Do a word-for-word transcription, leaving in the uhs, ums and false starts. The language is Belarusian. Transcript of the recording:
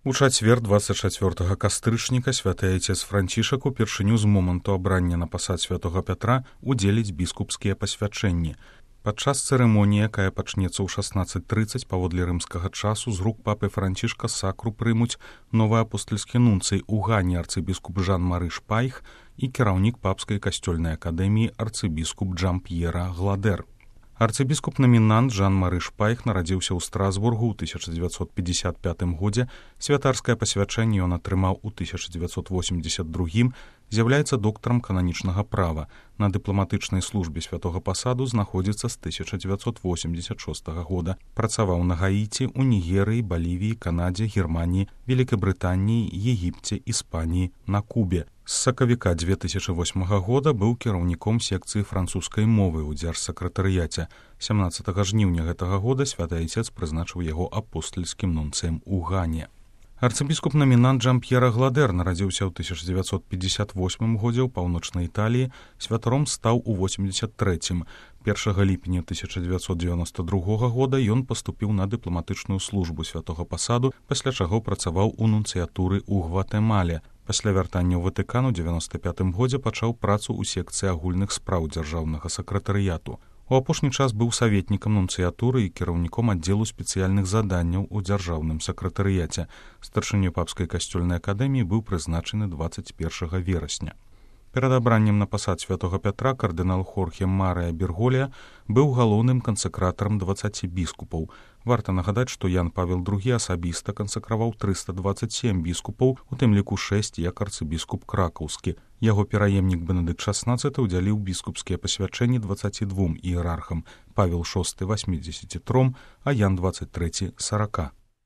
У чацвер дваццаць чацвёртага кастрычніка святы айцец Францішак упершыню з моманту абрання на пасад святога Пятра удзеліць біскупскія пасвячэнні. Падчас цырымоніі, якая пачнецца ў шаснаццаць трыццаць паводле рымскага часу, з рук папы Францішка сакру прымуць новы апостальскі нунцый у Гані арцыбіскуп Жан-Мары Шпайх і кіраўнік папскай касцёльнай акадэміі арцыбіскуп Джан-П'ера Гладэр. Арцыбіскуп-намінант Жан-Мары Шпайх нарадзіўся ў Страсбургу ў тысяча дзевяцьсот пятьдесят пятым годзе, святарскае пасвячэнне ён атрымаў у тысяча дзевяцьсот восемьдесят другім, з'яўляецца доктарам кананічнага права. На дыпламатычнай службе святога пасаду знаходзіцца з тысяча дзевяцьсот восемьдесят шостага года. Працаваў на Гаіці, у Нігерыі, Балівіі, Канадзе, Германіі, Вялікай Брытаніі, Егіпце, Іспаніі, на Кубе. З сакавіка дзве тысячы восьмага года быў кіраўніком секцыі французскай мовы ў дзяржсакратарыяце. сямнаццатага жніўня гэтага года святы айцец прызначыў яго апостальскім нунцыем у Гане. Арцыбіскуп-намінант Джан-П'ера Гладэр нарадзіўся ў тысяча дзевяцьсот пятьдесят восьмым годзе ў паўночнай Італіі, святаром стаў у восемьдесят трэцім. першага ліпеня тысяча дзевяцьсот дзевяноста другога года ён паступіў на дыпламатычную службу святога пасаду, пасля чаго працаваў у нунцыятуры ў Гватэмале. Пасля вяртання ў Ватыкан у дзевяноста пятым годзе пачаў працу ў секцыі агульных спраў дзяржаўнага сакратарыяту. У апошні час быў саветнікам нунцыятуры і кіраўніком аддзелу спецыяльных заданняў у дзяржаўным сакратарыяце. Старшынёй папскай касцёльнай акадэміі быў прызначаны дваццаць першага верасня. Перад абраннем на пасад святога Пятра кардынал Хорхе Марыя Берголія быў галоўным кансакратарам дваццаці біскупаў. Варта нагадаць, што Ян Павел другі асабіста кансакраваў трыста дваццаць сем біскупаў, у тым ліку шэсць як арцыбіскуп кракаўскі. Яго пераемнік Бенедыкт шаснаццаты ўдзяліў біскупскія пасвячэнні дваццаці двум іерархам, Павел шосты восьмідзесяці тром, а Ян дваццаць трэці сарака.